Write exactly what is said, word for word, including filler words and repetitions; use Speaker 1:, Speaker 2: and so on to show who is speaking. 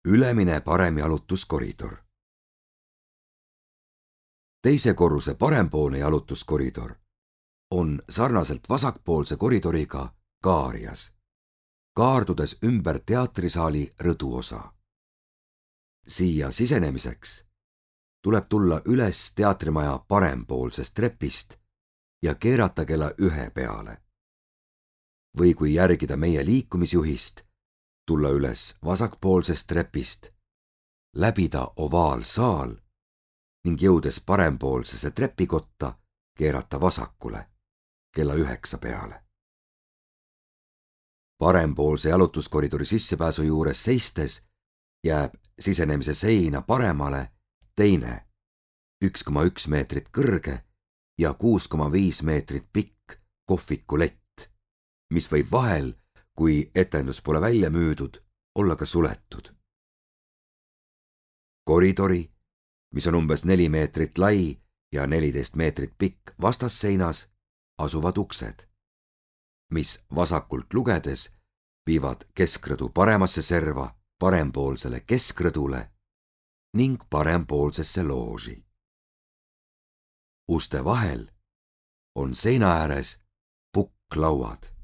Speaker 1: ülemine parem jalutuskoridor. Teise korruse parempoolne jalutuskoridor on sarnaselt vasakpoolse koridoriga kaarjas, kaardudes ümber teatrisaali rõduosa. Siia sisenemiseks tuleb tulla üles teatrimaja parempoolsest trepist ja keerata kella ühe peale. Või kui järgida meie liikumisjuhist, tulla üles vasakpoolsest trepist, läbida ovaalsaal ning jõudes parempoolsesse trepikotta, keerata vasakule kella üheksa peale. Parempoolse jalutuskoridori sissepääsu juures seistes jääb sisenemise seina paremale teine üks koma üks meetrit kõrge ja kuus koma viis meetrit pikk kohvikulett, mis võib vahel, kui etendus pole välja müüdud, olla ka suletud. Koridori, mis on umbes neli meetrit lai ja neliteist meetrit pikk vastasseinas, asuvad uksed, mis vasakult lugedes viivad keskrõdu paremasse serva, parempoolsele keskrõdule ning parempoolsesse looži. Uste vahel on seina ääres pukklauad.